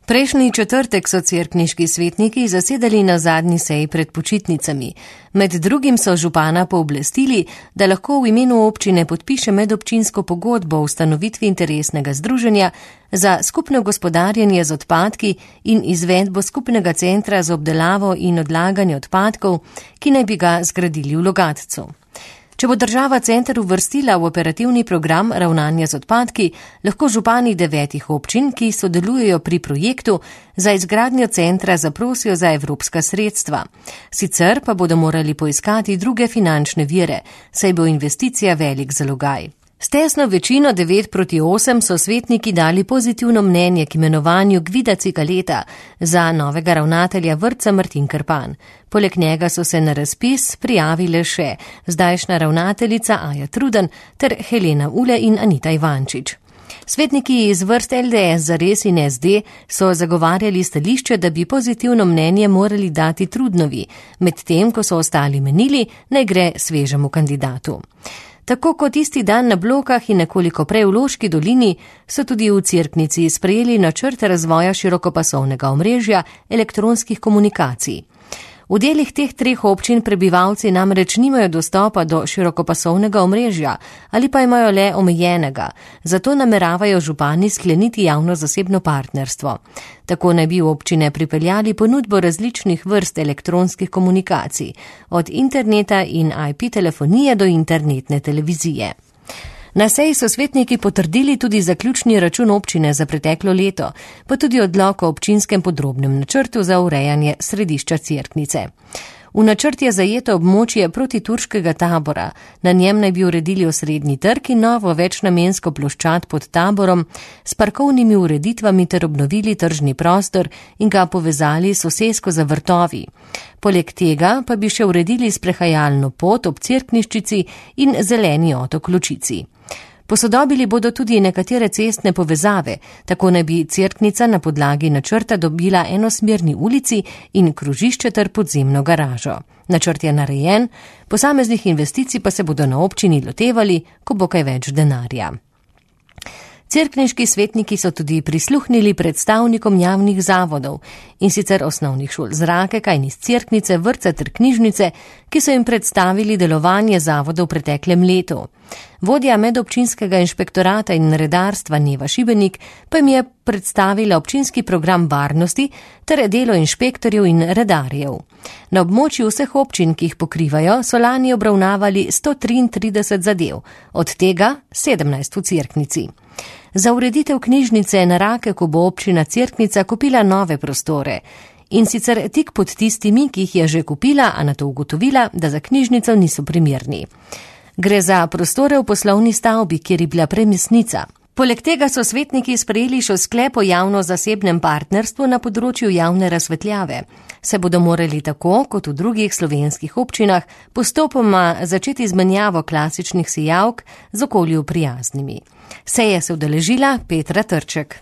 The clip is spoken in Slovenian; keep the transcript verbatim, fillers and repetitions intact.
Prejšnji četrtek so cerkniški svetniki zasedali na zadnji seji pred počitnicami. Med drugim so župana pooblastili, da lahko v imenu občine podpiše medobčinsko pogodbo o ustanovitvi interesnega združenja za skupno gospodarjenje z odpadki in izvedbo skupnega centra za obdelavo in odlaganje odpadkov, ki naj bi ga zgradili v Logatcu. Če bo država center uvrstila v operativni program ravnanja z odpadki, lahko župani devetih občin, ki sodelujejo pri projektu, za izgradnjo centra zaprosijo za evropska sredstva. Sicer pa bodo morali poiskati druge finančne vire, saj bo investicija velik zalogaj. S tesno večino devet proti osem so svetniki dali pozitivno mnenje k imenovanju Gvida Cikaleta za novega ravnatelja vrtca Martin Krpan. Poleg njega so se na razpis prijavile še zdajšnja ravnateljica Aja Truden ter Helena Ule in Anita Ivančič. Svetniki iz vrst L D S, Zares in S D so zagovarjali stališče, da bi pozitivno mnenje morali dati Trudnovi, medtem ko so ostali menili, naj gre svežemu kandidatu. Tako kot isti dan na Blokah in nekoliko prej v Loški dolini so tudi v Cerknici sprejeli načrt razvoja širokopasovnega omrežja elektronskih komunikacij. V delih teh treh občin prebivalci namreč nimajo dostopa do širokopasovnega omrežja ali pa imajo le omejenega, zato nameravajo župani skleniti javno-zasebno partnerstvo. Tako naj bi v občine pripeljali ponudbo različnih vrst elektronskih komunikacij, od interneta in I P telefonije do internetne televizije. Na seji so svetniki potrdili tudi zaključni račun občine za preteklo leto, pa tudi odlok o občinskem podrobnem načrtu za urejanje središča Cerknice. V načrt je zajeto območje protiturškega tabora, na njem naj bi uredili osrednji trg in novo večnamensko ploščad pod taborom s parkovnimi ureditvami ter obnovili tržni prostor in ga povezali s sosesko za vrtovi. Poleg tega pa bi še uredili sprehajalno pot ob Cerkniščici in zeleni otok Ločici. Posodobili bodo tudi nekatere cestne povezave, tako naj bi Cerknica na podlagi načrta dobila enosmerni ulici in krožišče ter podzemno garažo. Načrt je narejen, posameznih investicij pa se bodo na občini lotevali, ko bo kaj več denarja. Cerkniški svetniki so tudi prisluhnili predstavnikom javnih zavodov, in sicer osnovnih šol Zrake, Kajnis Cerknice, vrtca ter knjižnice, ki so jim predstavili delovanje zavodov v preteklem letu. Vodja medobčinskega inšpektorata in redarstva Neva Šibenik pa jim je predstavila občinski program varnosti ter delo inšpektorjev in redarjev. Na območju vseh občin, ki jih pokrivajo, so lani obravnavali sto triintrideset zadev, od tega sedemnajst v Cerknici. Za ureditev knjižnice na Rakeku bo občina Cerknica kupila nove prostore, in sicer tik pod tistimi, ki jih je že kupila, a nato ugotovila, da za knjižnico niso primerni. Gre za prostore v poslovni stavbi, kjer je bila premistnica. Poleg tega so svetniki sprejeli še sklep o javno-zasebnem partnerstvu na področju javne razsvetljave. Se bodo morali tako, kot v drugih slovenskih občinah, postopoma začeti izmenjavo klasičnih sijavk z okolju prijaznimi. Seje se udeležila Petra Trček.